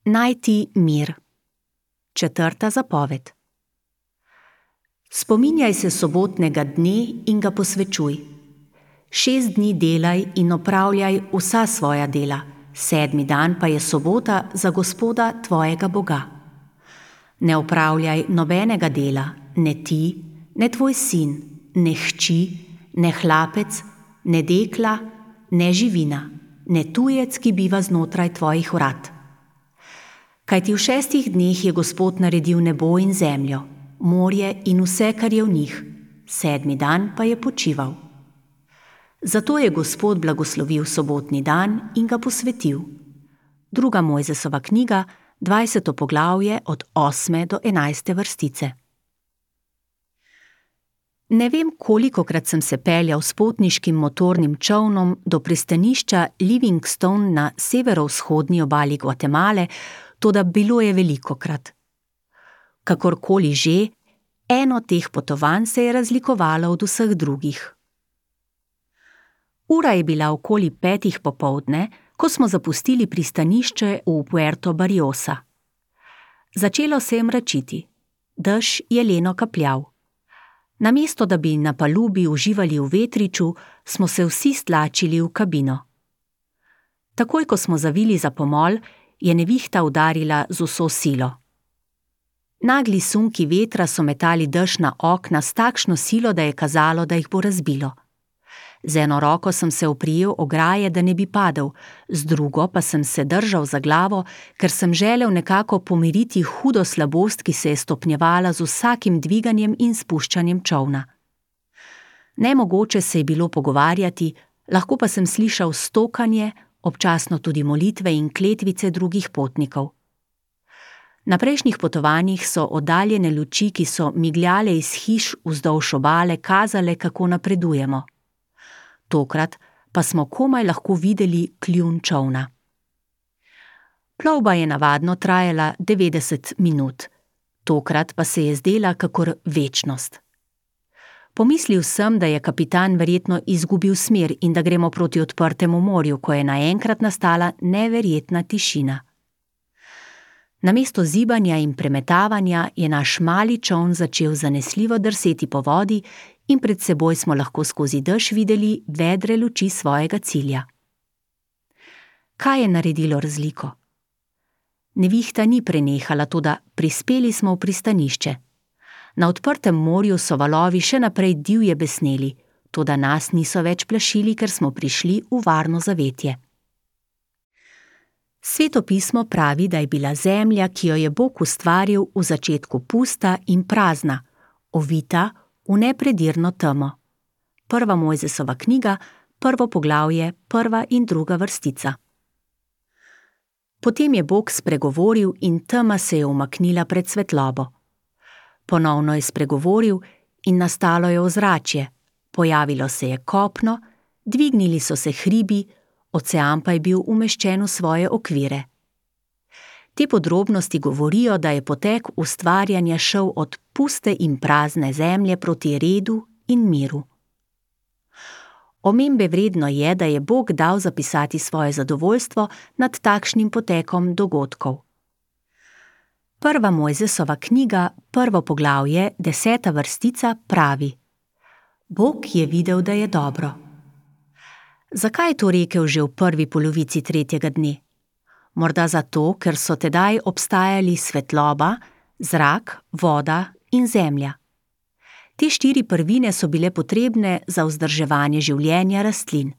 Najti mir. 4. zapoved. Spominjaj se sobotnega dne in ga posvečuj. 6 dni delaj in opravljaj vsa svoja dela, 7. dan pa je sobota za Gospoda tvojega Boga. Ne opravljaj nobenega dela, ne ti, ne tvoj sin, ne hči, ne hlapec, ne dekla, ne živina, ne tujec, ki biva znotraj tvojih vrat. Kajti v 6 dneh je Gospod naredil nebo in zemljo, morje in vse, kar je v njih, 7. dan pa je počival. Zato je Gospod blagoslovil sobotni dan in ga posvetil. 2. Mojzesova knjiga, 20. poglavje od 8. do 11. vrstice. Ne vem, kolikokrat sem se peljal s potniškim motornim čolnom do pristanišča Livingstone na severovzhodni obali Gvatemale, toda bilo je velikokrat. Kakorkoli že, eno teh potovanj se je razlikovalo od vseh drugih. Ura je bila okoli 5. popoldne, ko smo zapustili pristanišče v Puerto Barriosa. Začelo se je mračiti. Dež je leno kapljal. Namesto da bi na palubi uživali v vetriču, smo se vsi stlačili v kabino. Takoj, ko smo zavili za pomol, je nevihta udarila z vso silo. Nagli sunki vetra so metali dež na okna s takšno silo, da je kazalo, da jih bo razbilo. Z eno roko sem se oprijel ograje, da ne bi padel, z drugo pa sem se držal za glavo, ker sem želel nekako pomiriti hudo slabost, ki se je stopnjevala z vsakim dviganjem in spuščanjem čolna. Nemogoče se je bilo pogovarjati, lahko pa sem slišal stokanje, občasno tudi molitve in kletvice drugih potnikov. Na prejšnjih potovanjih so oddaljene luči, ki so migljale iz hiš vzdolž obale, kazale, kako napredujemo. Tokrat pa smo komaj lahko videli kljun čolna. Plovba je navadno trajala 90 minut, tokrat pa se je zdela kakor večnost. Pomislil sem, da je kapitan verjetno izgubil smer in da gremo proti odprtemu morju, ko je naenkrat nastala neverjetna tišina. Namesto zibanja in premetavanja je naš mali čoln začel zanesljivo drseti po vodi in pred seboj smo lahko skozi dež videli vedre luči svojega cilja. Kaj je naredilo razliko? Nevihta ni prenehala, toda prispeli smo v pristanišče. Na odprtem morju so valovi še naprej divje besneli, toda nas niso več plašili, ker smo prišli v varno zavetje. Sveto pismo pravi, da je bila zemlja, ki jo je Bog ustvaril, v začetku pusta in prazna, ovita v nepredirno temo. 1. Mojzesova knjiga, 1. poglavje, 1. in 2. vrstica. Potem je Bog spregovoril in tema se je umaknila pred svetlobo. Ponovno je spregovoril in nastalo je ozračje, pojavilo se je kopno, dvignili so se hribi, ocean pa je bil umeščen v svoje okvire. Te podrobnosti govorijo, da je potek ustvarjanja šel od puste in prazne zemlje proti redu in miru. Omembe vredno je, da je Bog dal zapisati svoje zadovoljstvo nad takšnim potekom dogodkov. 1. Mojzesova knjiga, 1. poglavje, 10. vrstica pravi: Bog je videl, da je dobro. Zakaj je to rekel že v prvi polovici 3. dne? Morda zato, ker so tedaj obstajali svetloba, zrak, voda in zemlja. Te 4 prvine so bile potrebne za vzdrževanje življenja rastlin.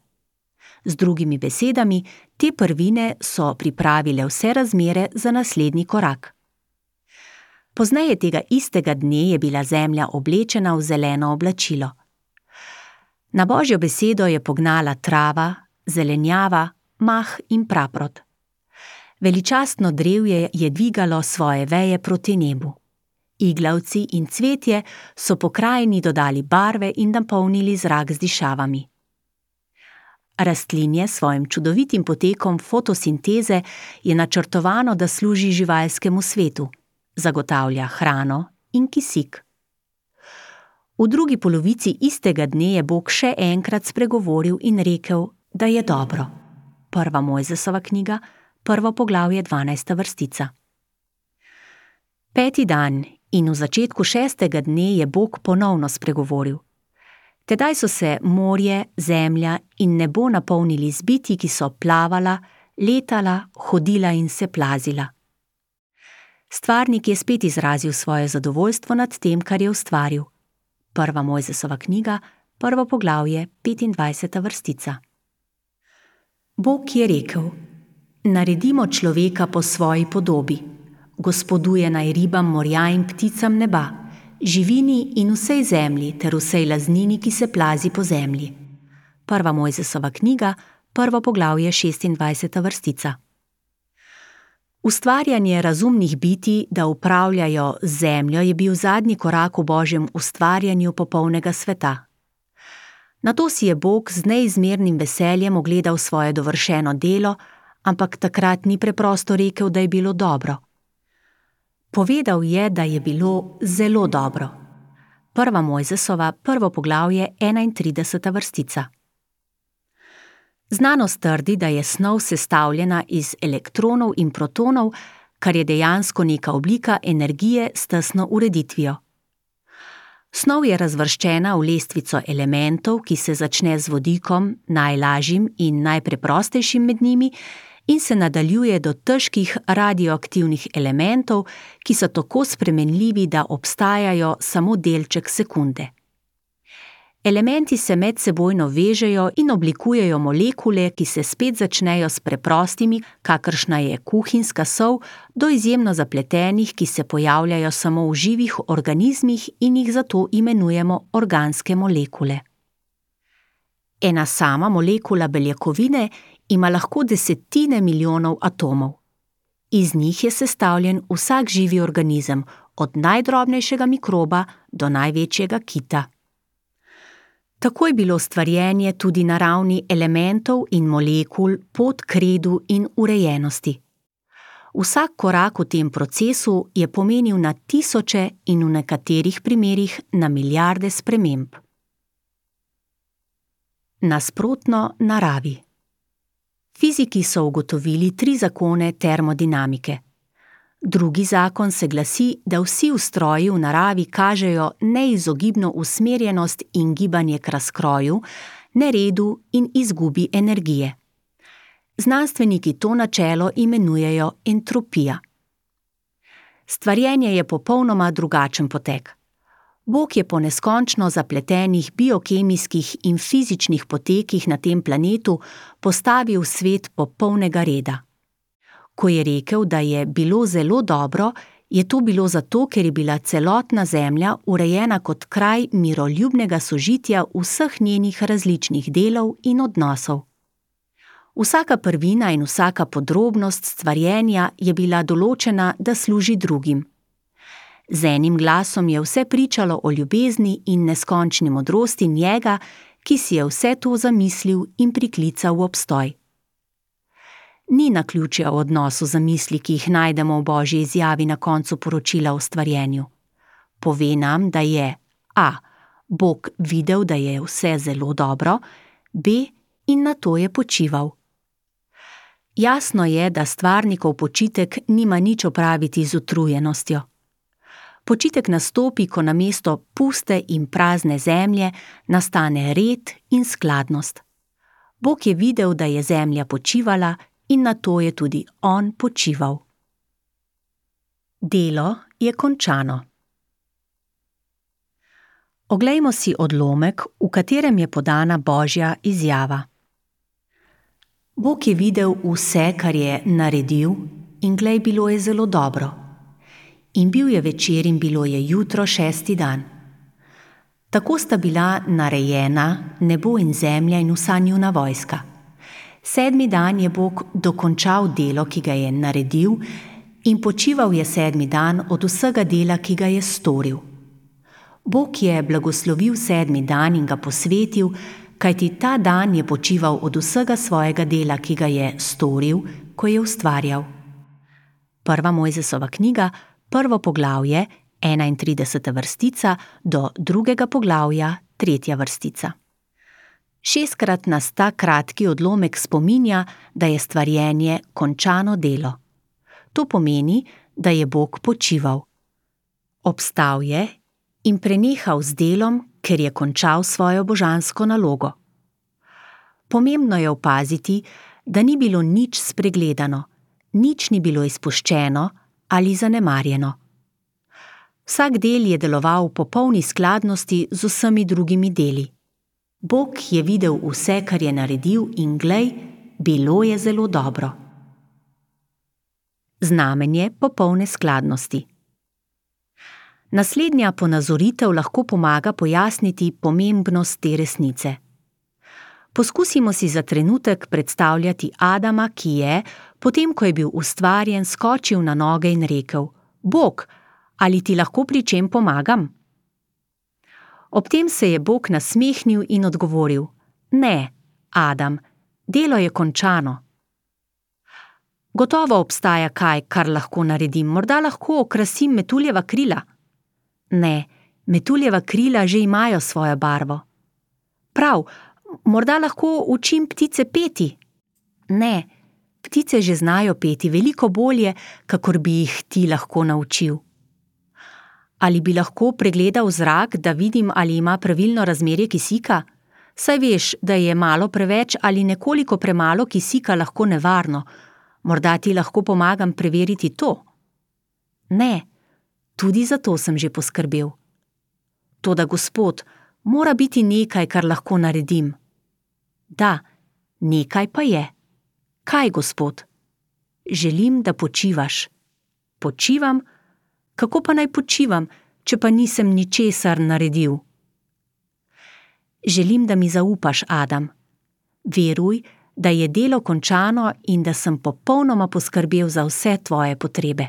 Z drugimi besedami, te prvine so pripravile vse razmere za naslednji korak. Pozneje tega istega dne je bila zemlja oblečena v zeleno oblačilo. Na Božjo besedo je pognala trava, zelenjava, mah in praprot. Veličastno drevje je dvigalo svoje veje proti nebu. Iglavci in cvetje so pokrajini dodali barve in napolnili zrak z dišavami. Rastlinje s svojim čudovitim potekom fotosinteze je načrtovano, da služi živalskemu svetu, zagotavlja hrano in kisik. V drugi polovici istega dne je Bog še enkrat spregovoril in rekel, da je dobro. 1. Mojzesova knjiga, prvo poglavje, 12. vrstica. 5. dan in v začetku 6. dne je Bog ponovno spregovoril. Tedaj so se morje, zemlja in nebo napolnili z bitji, ki so plavala, letala, hodila in se plazila. Stvarnik je spet izrazil svoje zadovoljstvo nad tem, kar je ustvaril. Prva Mojzesova knjiga, prvo poglavje, 25. vrstica. Bog je rekel: naredimo človeka po svoji podobi, gospoduje naj ribam morja in pticam neba, živini in vsej zemlji ter vsej laznini, ki se plazi po zemlji. Prva Mojzesova knjiga, prvo poglavje, 26. vrstica. Ustvarjanje razumnih bitij, da upravljajo z zemljo, je bil zadnji korak v Božjem ustvarjanju popolnega sveta. Nato si je Bog z neizmernim veseljem ogledal svoje dovršeno delo, ampak takrat ni preprosto rekel, da je bilo dobro. Povedal je, da je bilo zelo dobro. Prva Mojzesova, prvo poglavje, 31. vrstica. Znanost trdi, da je snov sestavljena iz elektronov in protonov, kar je dejansko neka oblika energije s tesno ureditvijo. Snov je razvrščena v lestvico elementov, ki se začne z vodikom, najlažjim in najpreprostejšim med njimi, in se nadaljuje do težkih radioaktivnih elementov, ki so tako spremenljivi, da obstajajo samo delček sekunde. Elementi se medsebojno vežejo in oblikujejo molekule, ki se spet začnejo s preprostimi, kakršna je kuhinjska sol, do izjemno zapletenih, ki se pojavljajo samo v živih organizmih in jih zato imenujemo organske molekule. Ena sama molekula beljakovine ima lahko desetine milijonov atomov. Iz njih je sestavljen vsak živi organizem, od najdrobnejšega mikroba do največjega kita. Tako je bilo stvarjenje tudi na ravni elementov in molekul pot k redu in urejenosti. Vsak korak v tem procesu je pomenil na tisoče in v nekaterih primerih na milijarde sprememb. Nasprotno naravi. Fiziki so ugotovili 3 zakone termodinamike. Drugi zakon se glasi, da vsi ustroji v naravi kažejo neizogibno usmerjenost in gibanje k razkroju, neredu in izgubi energije. Znanstveniki to načelo imenujejo entropija. Stvarjenje je popolnoma drugačen potek. Bog je po neskončno zapletenih biokemijskih in fizičnih potekih na tem planetu postavil svet popolnega reda. Ko je rekel, da je bilo zelo dobro, je to bilo zato, ker je bila celotna Zemlja urejena kot kraj miroljubnega sožitja vseh njenih različnih delov in odnosov. Vsaka prvina in vsaka podrobnost stvarjenja je bila določena, da služi drugim. Z enim glasom je vse pričalo o ljubezni in neskončni modrosti njega, ki si je vse to zamislil in priklical v obstoj. Ni naključja v odnosu zamisli, ki jih najdemo v Božji izjavi na koncu poročila o stvarjenju. Pove nam, da je a. Bog videl, da je vse zelo dobro, b. in nato je počival. Jasno je, da stvarnikov počitek nima nič opraviti z utrujenostjo. Počitek nastopi, ko namesto puste in prazne zemlje nastane red in skladnost. Bog je videl, da je zemlja počivala, in nato je tudi on počival. Delo je končano. Oglejmo si odlomek, v katerem je podana Božja izjava. Bog je videl vse, kar je naredil, in glej, bilo je zelo dobro. In bil je večer in bilo je jutro 6. dan. Tako sta bila narejena nebo in zemlja in vsa njuna vojska. 7. dan je Bog dokončal delo, ki ga je naredil, in počival je 7. dan od vsega dela, ki ga je storil. Bog je blagoslovil 7. dan in ga posvetil, kajti ta dan je počival od vsega svojega dela, ki ga je storil, ko je ustvarjal. Prva Mojzesova knjiga, prvo poglavje, 31. vrstica do 2. poglavja, 3. vrstica. 6-krat nas ta kratki odlomek spominja, da je stvarjenje končano delo. To pomeni, da je Bog počival. Obstal je in prenehal z delom, ker je končal svojo božansko nalogo. Pomembno je opaziti, da ni bilo nič spregledano, nič ni bilo izpuščeno ali zanemarjeno. Vsak del je deloval v popolni skladnosti z vsemi drugimi deli. Bog je videl vse, kar je naredil, in glej, bilo je zelo dobro. Znamenje popolne skladnosti. Naslednja ponazoritev lahko pomaga pojasniti pomembnost te resnice. Poskusimo si za trenutek predstavljati Adama, ki je, potem ko je bil ustvarjen, skočil na noge in rekel: Bog, ali ti lahko pri čem pomagam? Ob tem se je Bog nasmehnil in odgovoril: Ne, Adam, delo je končano. Gotovo obstaja kaj, kar lahko naredim, morda lahko okrasim metuljeva krila. Ne, metuljeva krila že imajo svojo barvo. Prav, morda lahko učim ptice peti. Ne, ptice že znajo peti veliko bolje, kakor bi jih ti lahko naučil. Ali bi lahko pregledal zrak, da vidim, ali ima pravilno razmerje kisika? Saj veš, da je malo preveč ali nekoliko premalo kisika lahko nevarno. Morda ti lahko pomagam preveriti to? Ne, tudi za to sem že poskrbel. Toda, Gospod, mora biti nekaj, kar lahko naredim. Da, nekaj pa je. Kaj, Gospod? Želim, da počivaš. Počivam? Kako pa naj počivam, če pa nisem ničesar naredil? Želim, da mi zaupaš, Adam. Veruj, da je delo končano in da sem popolnoma poskrbel za vse tvoje potrebe.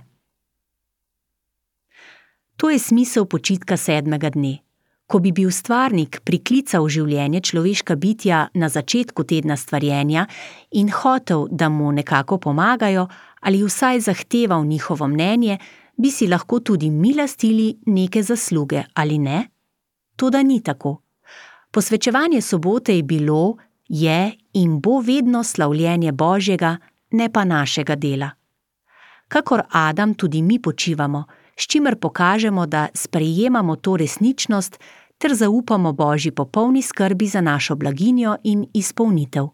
To je smisel počitka 7. dne. Ko bi bil stvarnik priklical v življenje človeška bitja na začetku tedna stvarjenja in hotel, da mu nekako pomagajo ali vsaj zahteval njihovo mnenje, bi si lahko tudi mi lastili neke zasluge, ali ne? Toda ni tako. Posvečevanje sobote je bilo, je in bo vedno slavljenje Božjega, ne pa našega dela. Kakor Adam tudi mi počivamo, s čimer pokažemo, da sprejemamo to resničnost ter zaupamo Božji popolni skrbi za našo blaginjo in izpolnitev.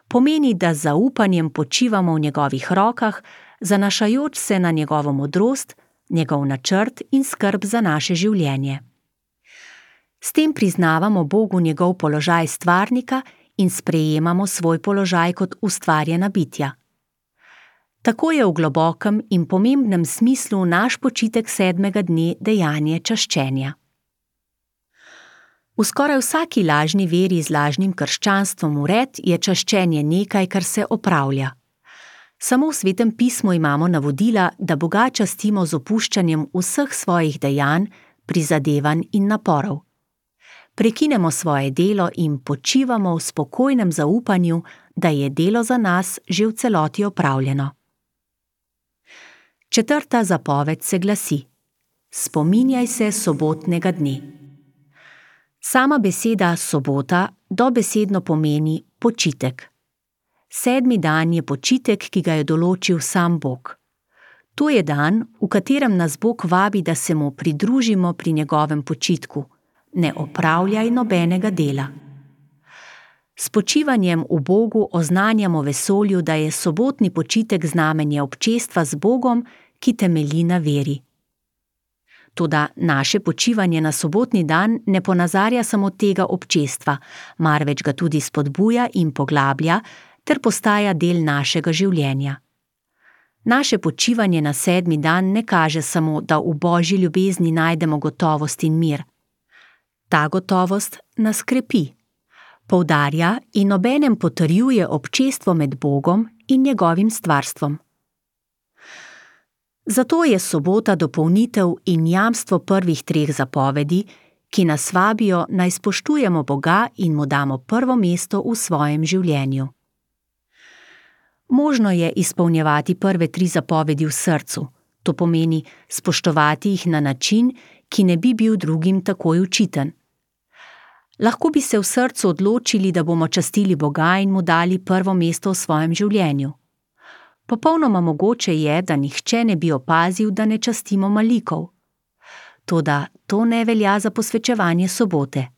Pomeni, da z zaupanjem počivamo v njegovih rokah, zanašajoč se na njegovo modrost, njegov načrt in skrb za naše življenje. S tem priznavamo Bogu njegov položaj stvarnika in sprejemamo svoj položaj kot ustvarjena bitja. Tako je v globokem in pomembnem smislu naš počitek 7. dne dejanje čaščenja. V skoraj vsaki lažni veri z lažnim krščanstvom vred je čaščenje nekaj, kar se opravlja. Samo v Svetem pismu imamo navodila, da Boga častimo z opuščanjem vseh svojih dejanj, prizadevanj in naporov. Prekinemo svoje delo in počivamo v spokojnem zaupanju, da je delo za nas že v celoti opravljeno. 4. zapoved se glasi: Spominjaj se sobotnega dne. Sama beseda sobota dobesedno pomeni počitek. 7. dan je počitek, ki ga je določil sam Bog. To je dan, v katerem nas Bog vabi, da se mu pridružimo pri njegovem počitku. Ne opravljaj nobenega dela. S počivanjem v Bogu oznanjamo vesolju, da je sobotni počitek znamenje občestva z Bogom, ki temelji na veri. Toda naše počivanje na sobotni dan ne ponazarja samo tega občestva, marveč ga tudi spodbuja in poglablja ter postaja del našega življenja. Naše počivanje na 7. dan ne kaže samo, da v Božji ljubezni najdemo gotovost in mir. Ta gotovost nas krepi, poudarja in obenem potrjuje občestvo med Bogom in njegovim stvarstvom. Zato je sobota dopolnitev in jamstvo prvih 3 zapovedi, ki nas vabijo, naj spoštujemo Boga in mu damo prvo mesto v svojem življenju. Možno je izpolnjevati prve 3 zapovedi v srcu, to pomeni spoštovati jih na način, ki ne bi bil drugim takoj očiten. Lahko bi se v srcu odločili, da bomo častili Boga in mu dali prvo mesto v svojem življenju. Popolnoma mogoče je, da nihče ne bi opazil, da ne častimo malikov. Toda to ne velja za posvečevanje sobote.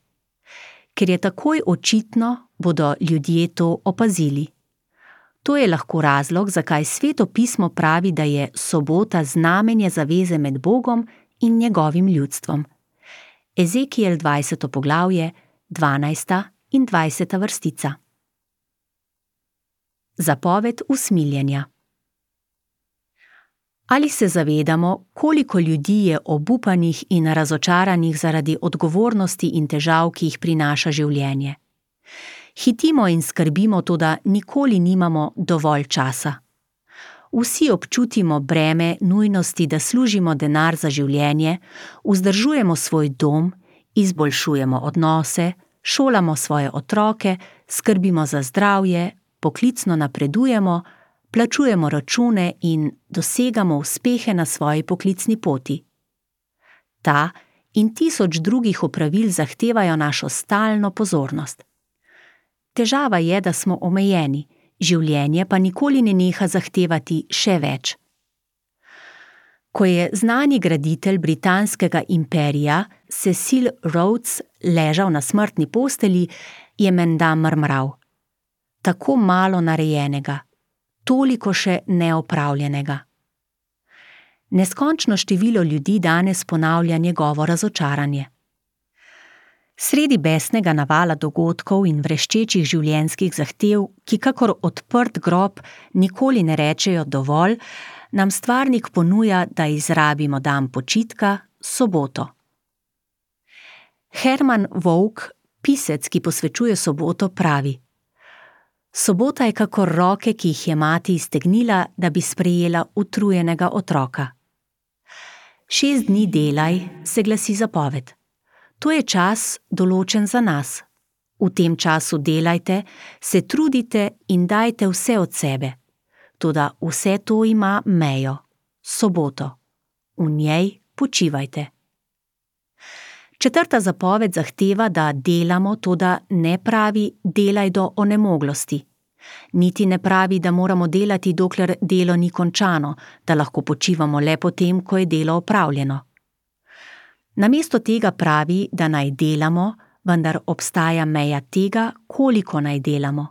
Ker je takoj očitno, bodo ljudje to opazili. To je lahko razlog, zakaj Sveto pismo pravi, da je sobota znamenje zaveze med Bogom in njegovim ljudstvom. Ezekiel 20. poglavje, 12. in 20. vrstica. Zapoved usmiljenja. Ali se zavedamo, koliko ljudi je obupanih in razočaranih zaradi odgovornosti in težav, ki jih prinaša življenje? Hitimo in skrbimo, toda nikoli nimamo dovolj časa. Vsi občutimo breme nujnosti, da služimo denar za življenje, vzdržujemo svoj dom, izboljšujemo odnose, šolamo svoje otroke, skrbimo za zdravje, poklicno napredujemo, plačujemo račune in dosegamo uspehe na svoji poklicni poti. Ta in 1000 drugih opravil zahtevajo našo stalno pozornost. Težava je, da smo omejeni, življenje pa nikoli ne neha zahtevati še več. Ko je znani graditelj britanskega imperija Cecil Rhodes ležal na smrtni postelji, je menda mrmral: tako malo narejenega, toliko še neopravljenega. Neskončno število ljudi danes ponavlja njegovo razočaranje. Sredi besnega navala dogodkov in vreščečih življenjskih zahtev, ki kakor odprt grob nikoli ne rečejo dovolj, nam stvarnik ponuja, da izrabimo dan počitka, soboto. Herman Wouk, pisec, ki posvečuje soboto, pravi: sobota je kakor roke, ki jih je mati iztegnila, da bi sprejela utrujenega otroka. 6 dni delaj, se glasi zapoved. To je čas, določen za nas. V tem času delajte, se trudite in dajte vse od sebe. Toda vse to ima mejo, soboto. V njej počivajte. 4. zapoved zahteva, da delamo, toda ne pravi delaj do onemoglosti. Niti ne pravi, da moramo delati, dokler delo ni končano, da lahko počivamo le potem, ko je delo opravljeno. Namesto tega pravi, da naj delamo, vendar obstaja meja tega, koliko naj delamo.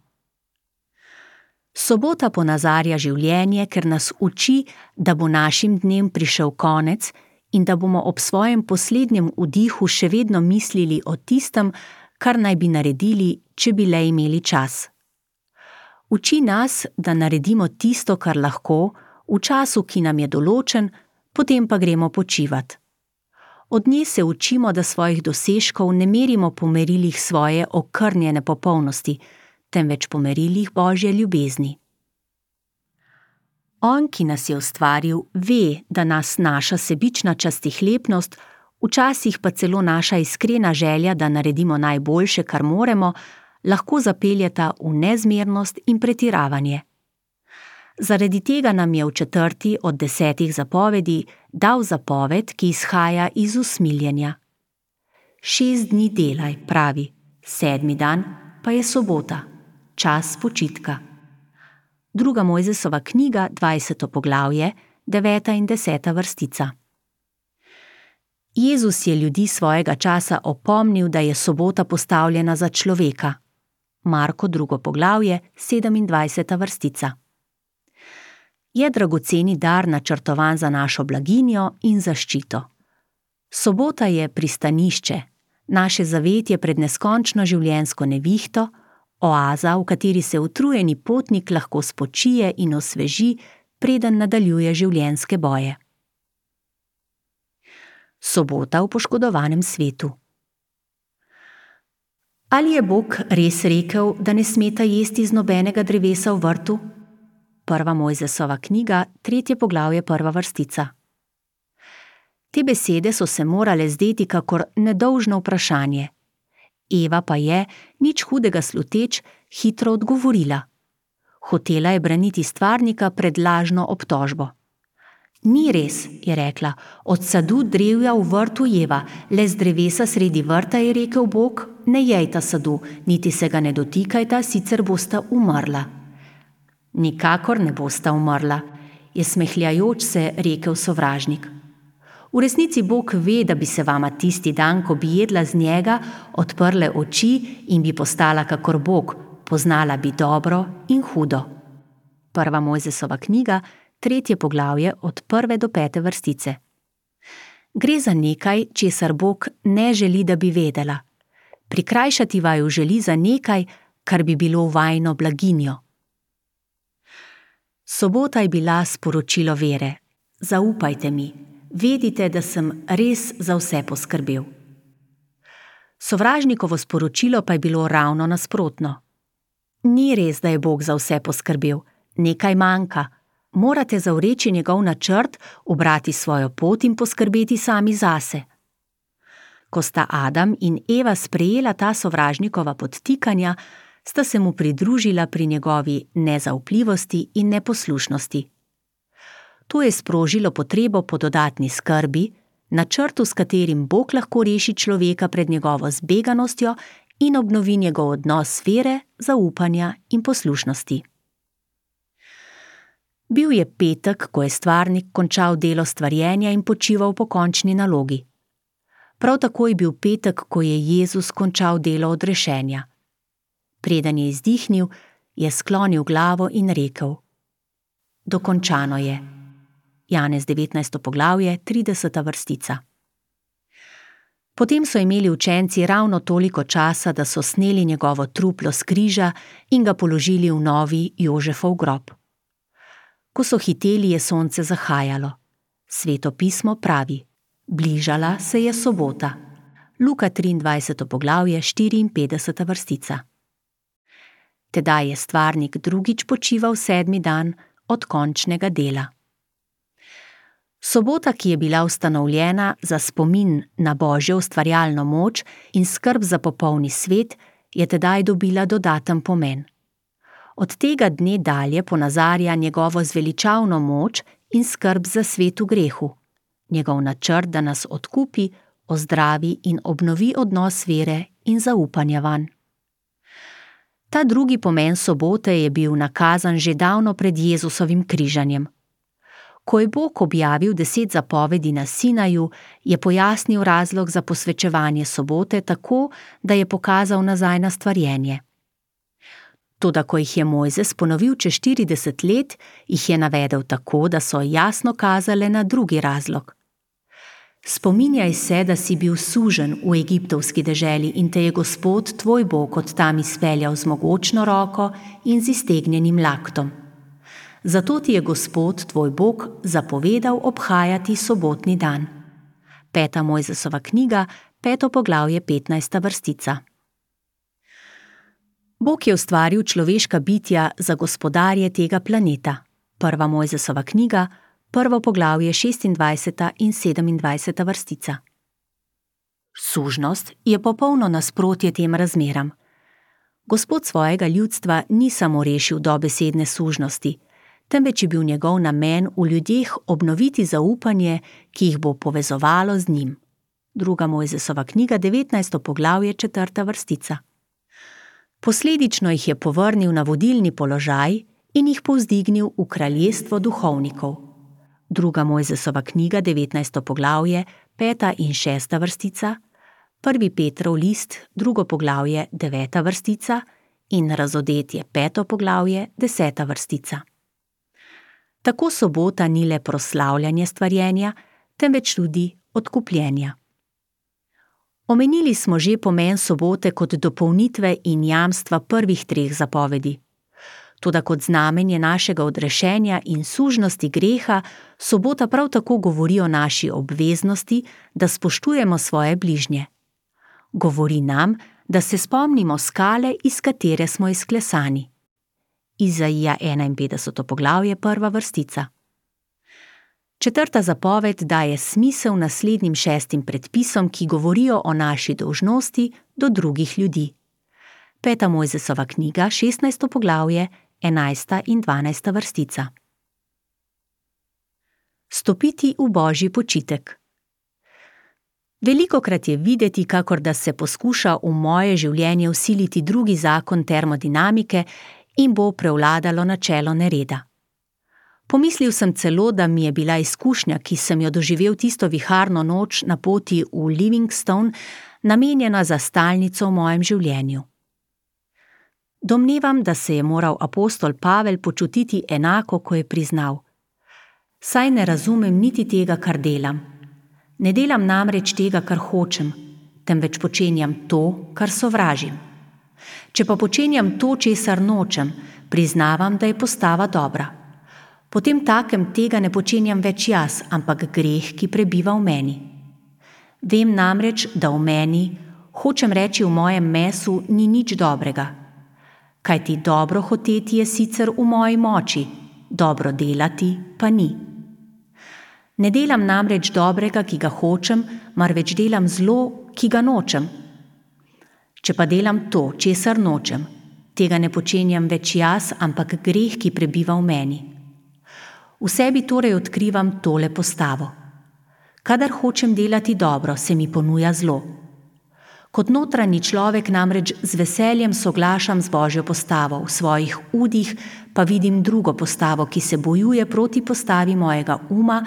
Sobota ponazarja življenje, ker nas uči, da bo našim dnem prišel konec in da bomo ob svojem poslednjem vdihu še vedno mislili o tistem, kar naj bi naredili, če bi le imeli čas. Uči nas, da naredimo tisto, kar lahko, v času, ki nam je določen, potem pa gremo počivat. Od nje se učimo, da svojih dosežkov ne merimo po merilih svoje okrnjene popolnosti, temveč po merilih Božje ljubezni. On, ki nas je ustvaril, ve, da nas naša sebična častihlepnost, včasih pa celo naša iskrena želja, da naredimo najboljše, kar moremo, lahko zapeljeta v nezmernost in pretiravanje. Zaradi tega nam je v 4. od 10 zapovedi dal zapoved, ki izhaja iz usmiljenja. 6 dni delaj, pravi, 7. dan pa je sobota, čas počitka. 2. Mojzesova knjiga, 20. poglavje, 9. in 10. vrstica. Jezus je ljudi svojega časa opomnil, da je sobota postavljena za človeka. Marko 2. poglavje, 27. vrstica. Je dragoceni dar načrtovan za našo blaginjo in zaščito. Sobota je pristanišče, naše zavetje pred neskončno življenjsko nevihto, oaza, v kateri se utrujeni potnik lahko spočije in osveži, preden nadaljuje življenjske boje. Sobota v poškodovanem svetu. Ali je Bog res rekel, da ne smeta jesti z nobenega drevesa v vrtu? 1. Mojzesova knjiga, 3. poglavje, 1. vrstica. Te besede so se morale zdeti kakor nedolžno vprašanje. Eva pa je, nič hudega sluteč, hitro odgovorila. Hotela je braniti stvarnika pred lažno obtožbo. Ni res, je rekla, od sadu drevja v vrtu jeva, le z drevesa sredi vrta, je rekel Bog, ne jejta sadu, niti se ga ne dotikajta, sicer bosta umrla. Nikakor ne bosta umrla, je smehljajoč se rekel sovražnik. V resnici Bog ve, da bi se vama tisti dan, ko bi jedla z njega, odprle oči in bi postala kakor Bog, poznala bi dobro in hudo. Prva Mojzesova knjiga, 3. poglavje od 1. do 5. vrstice. Gre za nekaj, česar Bog ne želi, da bi vedela. Prikrajšati vaju želi za nekaj, kar bi bilo vajino blaginjo. Sobota je bila sporočilo vere. Zaupajte mi, vedite, da sem res za vse poskrbel. Sovražnikovo sporočilo pa je bilo ravno nasprotno. Ni res, da je Bog za vse poskrbel, nekaj manjka. Morate zavreči njegov načrt, ubrati svojo pot in poskrbeti sami zase. Ko sta Adam in Eva sprejela ta sovražnikova podtikanja, sta se mu pridružila pri njegovi nezaupljivosti in neposlušnosti. To je sprožilo potrebo po dodatni skrbi, načrtu, s katerim Bog lahko reši človeka pred njegovo zbeganostjo in obnovi njegov odnos vere, zaupanja in poslušnosti. Bil je petek, ko je stvarnik končal delo stvarjenja in počival po končni nalogi. Prav tako je bil petek, ko je Jezus končal delo odrešenja. Preden je izdihnil, je sklonil glavo in rekel: Dokončano je. Janez 19. poglavje, 30. vrstica. Potem so imeli učenci ravno toliko časa, da so sneli njegovo truplo s križa in ga položili v novi Jožefov grob. Ko so hiteli, je sonce zahajalo. Sveto pismo pravi: bližala se je sobota. Luka 23. poglavje, 54. vrstica. Tedaj je stvarnik drugič počival 7. dan od končnega dela. Sobota, ki je bila ustanovljena za spomin na Božjo ustvarjalno moč in skrb za popolni svet, je tedaj dobila dodaten pomen. Od tega dne dalje ponazarja njegovo zveličavno moč in skrb za svet v grehu, njegov načrt, da nas odkupi, ozdravi in obnovi odnos vere in zaupanja vanj. Ta drugi pomen sobote je bil nakazan že davno pred Jezusovim križanjem. Ko je Bog objavil 10 zapovedi na Sinaju, je pojasnil razlog za posvečevanje sobote tako, da je pokazal nazaj na stvarjenje. Toda ko jih je Mojzes ponovil čez 40 let, jih je navedel tako, da so jasno kazale na drugi razlog. Spominjaj se, da si bil suženj v egiptovski deželi in te je Gospod tvoj Bog od tam izpeljal z mogočno roko in z iztegnjenim laktom. Zato ti je Gospod tvoj Bog zapovedal obhajati sobotni dan. 5. Mojzesova knjiga, 5. poglavje, 15. vrstica. Bog je ustvaril človeška bitja za gospodarje tega planeta. 1. Mojzesova knjiga, 1. poglavje, 26. in 27. vrstica. Sužnost je popolno nasprotje tem razmeram. Gospod svojega ljudstva ni samo rešil dobesedne sužnosti, temveč je bil njegov namen v ljudeh obnoviti zaupanje, ki jih bo povezovalo z njim. 2. Mojzesova knjiga, 19. poglavje, 4. vrstica. Posledično jih je povrnil na vodilni položaj in jih povzdignil v kraljestvo duhovnikov. 2. Mojzesova knjiga, 19. poglavje, 5. in 6. vrstica, 1. Petrov list, 2. poglavje, 9. vrstica in Razodetje, 5. poglavje, 10. vrstica. Tako sobota ni le proslavljanje stvarjenja, temveč tudi odkupljenja. Omenili smo že pomen sobote kot dopolnitve in jamstva prvih 3 zapovedi. Toda kot znamenje našega odrešenja in sužnosti greha, sobota prav tako govori o naši obveznosti, da spoštujemo svoje bližnje. Govori nam, da se spomnimo skale, iz katere smo izklesani. Izaija 51. poglavje, 1. vrstica. 4. zapoved daje smisel naslednjim 6 predpisom, ki govorijo o naši dolžnosti do drugih ljudi. 5. Mojzesova knjiga, 16. poglavje, 11. in 12. vrstica. S vstopiti v božji počitek. Velikokrat je videti, kakor da se poskuša v moje življenje vsiliti drugi zakon termodinamike in bo prevladalo načelo nereda. Pomislil sem celo, da mi je bila izkušnja, ki sem jo doživel tisto viharno noč na poti v Livingstone, namenjena za stalnico v mojem življenju. Domnevam, da se je moral apostol Pavel počutiti enako, ko je priznal: Saj ne razumem niti tega, kar delam. Ne delam namreč tega, kar hočem, temveč počenjam to, kar sovražim. Če pa počenjam to, česar nočem, priznavam, da je postava dobra. Potem takem tega ne počenjam več jaz, ampak greh, ki prebiva v meni. Vem namreč, da v meni, hočem reči v mojem mesu, ni nič dobrega. Kajti dobro hoteti je sicer v moji moči, dobro delati pa ni. Ne delam namreč dobrega, ki ga hočem, marveč delam zlo, ki ga nočem. Če pa delam to, česar nočem, tega ne počenjam več jaz, ampak greh, ki prebiva v meni. V sebi torej odkrivam tole postavo. Kadar hočem delati dobro, se mi ponuja zlo. Kot notranji človek namreč z veseljem soglašam z božjo postavo, v svojih udih pa vidim drugo postavo, ki se bojuje proti postavi mojega uma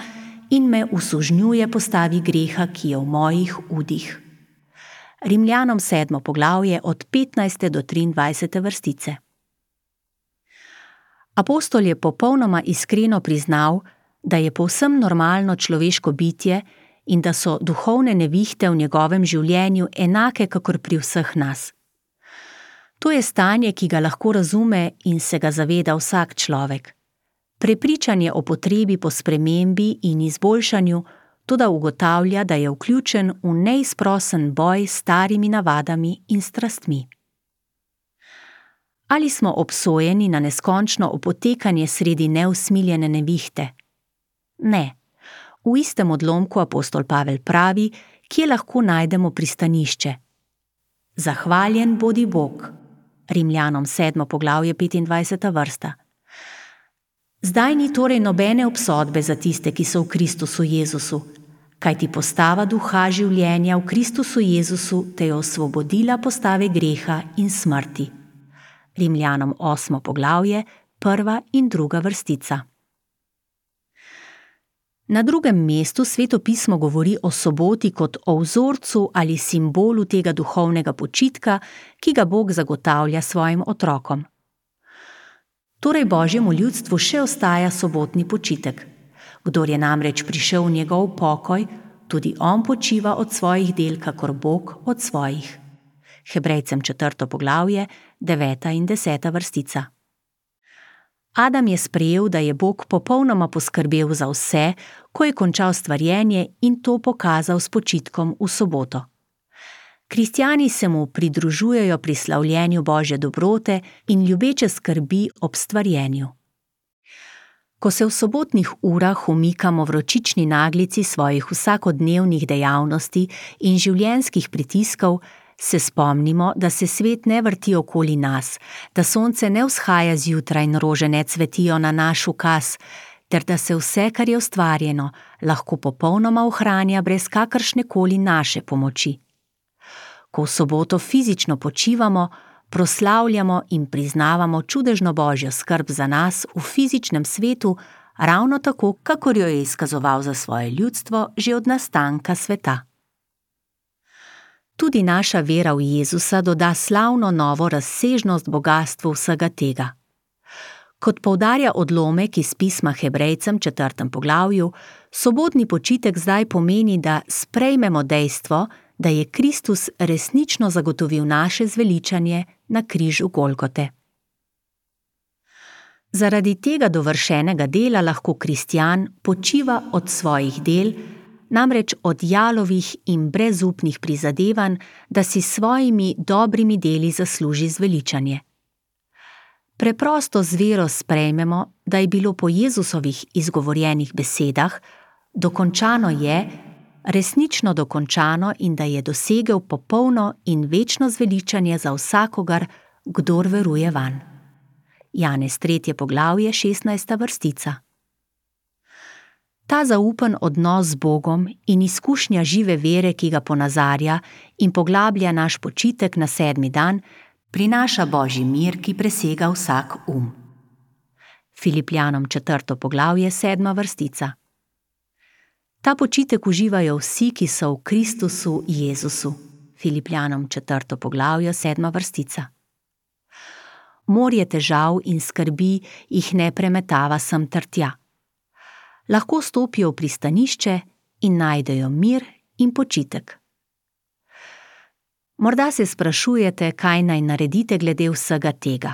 in me usužnjuje postavi greha, ki je v mojih udih. Rimljanom 7. poglavje od 15. do 23. vrstice. Apostol je popolnoma iskreno priznal, da je povsem normalno človeško bitje in da so duhovne nevihte v njegovem življenju enake kakor pri vseh nas. To je stanje, ki ga lahko razume in se ga zaveda vsak človek. Prepričanje o potrebi po spremembi in izboljšanju, toda ugotavlja, da je vključen v neizprosen boj s starimi navadami in strastmi. Ali smo obsojeni na neskončno opotekanje sredi neusmiljene nevihte? Ne. V istem odlomku apostol Pavel pravi, kje lahko najdemo pristanišče. Zahvaljen bodi Bog. Rimljanom 7. poglavje 25. vrsta. Zdaj ni torej nobene obsodbe za tiste, ki so v Kristusu Jezusu, kajti postava duha življenja v Kristusu Jezusu te je osvobodila postave greha in smrti. Rimljanom 8. poglavje, 1. in 2. vrstica. Na drugem mestu Sveto pismo govori o soboti kot o vzorcu ali simbolu tega duhovnega počitka, ki ga Bog zagotavlja svojim otrokom. Torej Božjemu ljudstvu še ostaja sobotni počitek. Kdor je namreč prišel v njegov pokoj, tudi on počiva od svojih del, kakor Bog od svojih. Hebrejcem 4. poglavje, 9. in 10. vrstica. Adam je sprejel, da je Bog popolnoma poskrbel za vse, ko je končal stvarjenje in to pokazal s počitkom v soboto. Kristjani se mu pridružujejo pri slavljenju Božje dobrote in ljubeče skrbi ob stvarjenju. Ko se v sobotnih urah umikamo vročični naglici svojih vsakodnevnih dejavnosti in življenjskih pritiskov, se spomnimo, da se svet ne vrti okoli nas, da sonce ne vzhaja zjutraj in rože ne cvetijo na naš ukaz, ter da se vse, kar je ustvarjeno, lahko popolnoma ohranja brez kakršnekoli naše pomoči. Ko v soboto fizično počivamo, proslavljamo in priznavamo čudežno Božjo skrb za nas v fizičnem svetu, ravno tako, kakor jo je izkazoval za svoje ljudstvo že od nastanka sveta. Tudi naša vera v Jezusa doda slavno novo razsežnost bogastvu vsega tega. Kot poudarja odlomek iz pisma Hebrejcem 4. poglavju, sobotni počitek zdaj pomeni, da sprejmemo dejstvo, da je Kristus resnično zagotovil naše zveličanje na križu Golgote. Zaradi tega dovršenega dela lahko kristjan počiva od svojih del, namreč od jalovih in brezupnih prizadevanj, da si s svojimi dobrimi deli zasluži zveličanje. Preprosto z vero sprejmemo, da je bilo po Jezusovih izgovorjenih besedah dokončano je, resnično dokončano in da je dosegel popolno in večno zveličanje za vsakogar, kdor veruje vanj. Janez 3. poglavje 16. vrstica. Ta zaupen odnos z Bogom in izkušnja žive vere, ki ga ponazarja in poglablja naš počitek na 7. dan, prinaša Božji mir, ki presega vsak Filipljanom 4. poglavje, 7. vrstica. Ta počitek uživajo vsi, ki so v Kristusu Jezusu. Filipljanom 4. poglavje, 7. vrstica. Morje težav in skrbi jih ne premetava sem ter tja. Lahko stopijo v pristanišče in najdejo mir in počitek. Morda se sprašujete, kaj naj naredite glede vsega tega.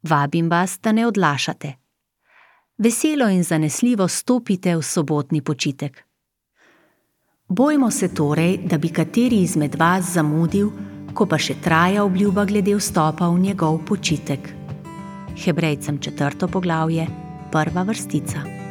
Vabim vas, da ne odlašate. Veselo in zanesljivo stopite v sobotni počitek. Bojmo se torej, da bi kateri izmed vas zamudil, ko pa še traja obljuba glede vstopa v njegov počitek. Hebrejcem 4. poglavje, 1. vrstica.